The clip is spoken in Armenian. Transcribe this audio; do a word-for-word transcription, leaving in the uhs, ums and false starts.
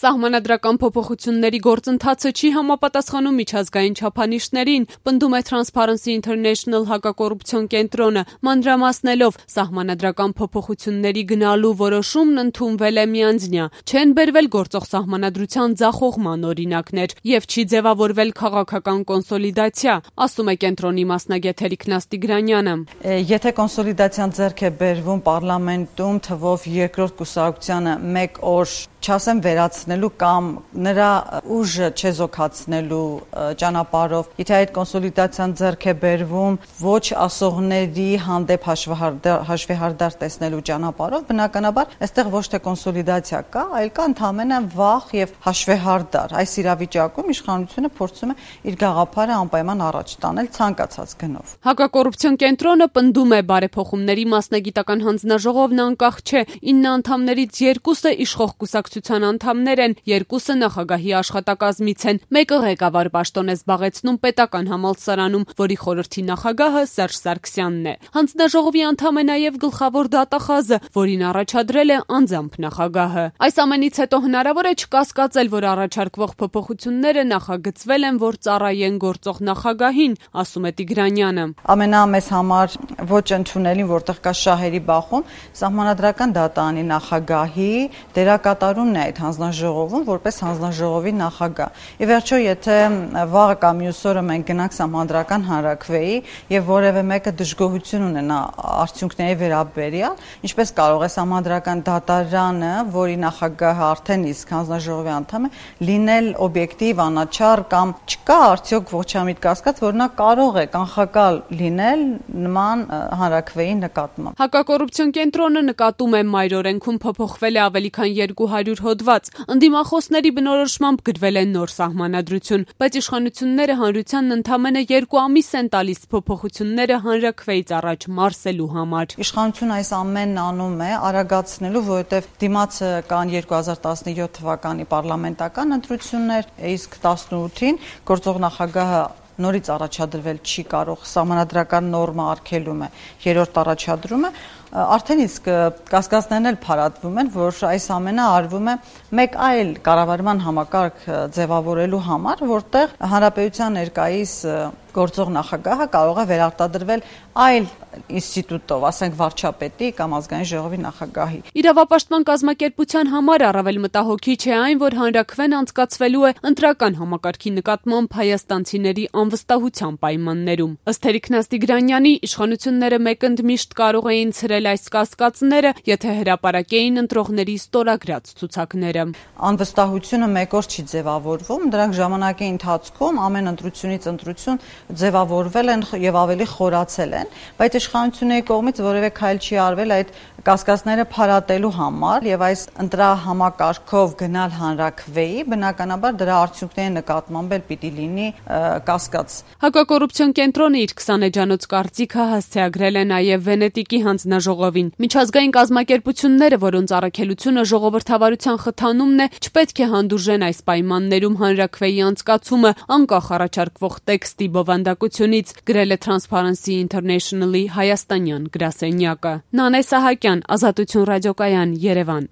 Սահմանադրական փոփոխությունների գործընթացը չի համապատասխանում միջազգային չափանիշներին, պնդում է Transparency International հակակոռուպցիոն կենտրոնը, մանրամասնելով սահմանադրական փոփոխությունների գնալու որոշումն ընդունվել է միանձնյա, չեն բերվել գործող սահմանադրության ձախողման օրինակներ եւ չի ձևավորվել քաղաքական կոնսոլիդացիա, ասում է կենտրոնի մասնագետ Էրիկ Նաստիգրանյանը։ Եթե կոնսոլիդացիան ձեռք է բերվում պարլամենտում թվով երկրորդ կուսակցությանը մեկ օր չասեմ վերացնելու կամ նրա ուժը չեզոքացնելու ճանապարհով, եթե այդ կոնսոլիդացիան ձեռք է բերվում ոչ ասողների հանդեպ հաշվեհարդար տեսնելու ճանապարհով, բնականաբար այստեղ ոչ թե կոնսոլիդացիա կա, այլ կա ընդհանրապես վախ եւ հաշվեհարդար։ Այս իրավիճակում իշխանությունը փորձում է իր գաղափարը անպայման առաջ տանել ցանկացած գնով։ Հակակոռուպցիոն կենտրոնը պնդում է բարեփոխումների մասնագիտական հանձնաժողովն անկախ չէ, ինը անդամներից երկուսը իշխող կուսակցության անդամներ են, երկուսը նախագահի աշխատակազմից են, մեկը ղեկավար պաշտոն է զբաղեցնում պետական համալսարանում, որի խորհրդի նախագահը Սերժ Սարգսյանն է։ Հանձնաժողովի անդամ է նաև գլխավոր դատախազը, որին առաջադրել է անձամբ նախագահը։ Այս ամենից հետո հնարավոր է չկասկածել, որ առաջարկվող փոփոխությունները նախագծվել են, որ ծառայեն գործող նախագահին, ասում է Տիգրանյանը։ Ամենամեծ համար ոչ ընդունելին, որտեղ կա շահերի բախում, սահմանադրական դատարանի նախագահի դերակատարումն է այդ հանձնաժողովում որպես հանձնաժողովի նախագահ։ Ի վերջո, եթե վաղը կամ մյուս օրը մենք գնանք սահմանադրական հանրաքվեի եւ որևէ մեկը դժգոհություն ունենա արդյունքների վերաբերյալ, ինչպես կարող է սահմանադրական դատարանը, որի նախագահը արդեն իսկ հանձնաժողովի անդամ է, լինել օբյեկտիվ, անաչառ կամ չկա արդյոք ողջամիտ կասկած, որ նա կարող է կանխակալ լինել նման հանրաքվեի նկատմամբ։ Հակակոռուպցիոն կենտրոնը նկատում է մայր օրենքում փոփոխվել է ավելի քան երկու հարյուր հոդված, ընդդիմախոսների բնորոշմամբ գրվել է նոր սահմանադրություն, բայց իշխանությունները հանրությանն ընդամենը երկու ամիս են տալիս փոփոխությունները հանրաքվեից առաջ մարսելու համար։ Իշխանությունը այս ամենն անում է արագացնելու, որովհետև դիմացը կան երկու հազար տասնյոթ թվականի պարլամենտական ընտրություններ, իսկ տասնութին գործող նախագահը նորից առաջադրվել չի կարող, սահմանադրական նորմա արգելում է, երրորդ առաջադրումը, արդեն իսկ կասկածներն էլ փարատվում են, որ այս ամենը արվում է մեկ այլ կառավարման համակարգ ձևավորելու համար, որտեղ հանրապետության ներկայիս գործող նախագահը կարող է վերարտադրվել այլ ինստիտուտով, ասենք վարչապետի կամ ազգային ժողովի նախագահի։ Իրավապաշտպան կազմակերպության համար առավել մտահոգիչ է այն, որ հանրաքվեն անցկացվելու է ընտրական համակարգի նկատմամբ հայաստանցիների անվստահության պայմաններում։ Ըստ Էրիկ Նաստիգրանյանի, իշխանությունները մեկընդմիշտ կարող էին ցրել այս կասկածները, եթե հրապարակեին ընտրողների ստորագրած ցուցակները։ Անվստահությունը մեկ օր չի ձևավորվում, դրանք ժամանակի ընթացքում ամեն ընտրությունից ընտրություն ձևավորվել են եւ ավելի խորացել են, բայց իշխանությունների կողմից որևէ քայլ չի արվել այդ կասկածները փարատելու համար եւ այս ընտրահամակարգով գնալ հանրաքվեի, բնականաբար դրա արդյունքների նկատմամբ էլ պիտի լինի կասկած։ Հակակոռուպցիոն կենտրոնը իր քսաներեջանոց կարծիքը հասցեագրել է նաեւ Վենետիկի հանձնաժողովին։ Միջազգային կազմակերպությունները, որոնց առաքելությունը ժողովրդավարության խթանումն է, չպետք է հանդուրժեն այս պայմաններում հանրաքվեի անցկացումը անկախ առաջարկվող տեքստի բովանդակությունից, գրել է Transparency International-ի հայաստանյան գրասենյակը։ Նանե Սահակյան, Ազատություն ռադիոկայան, Երևան։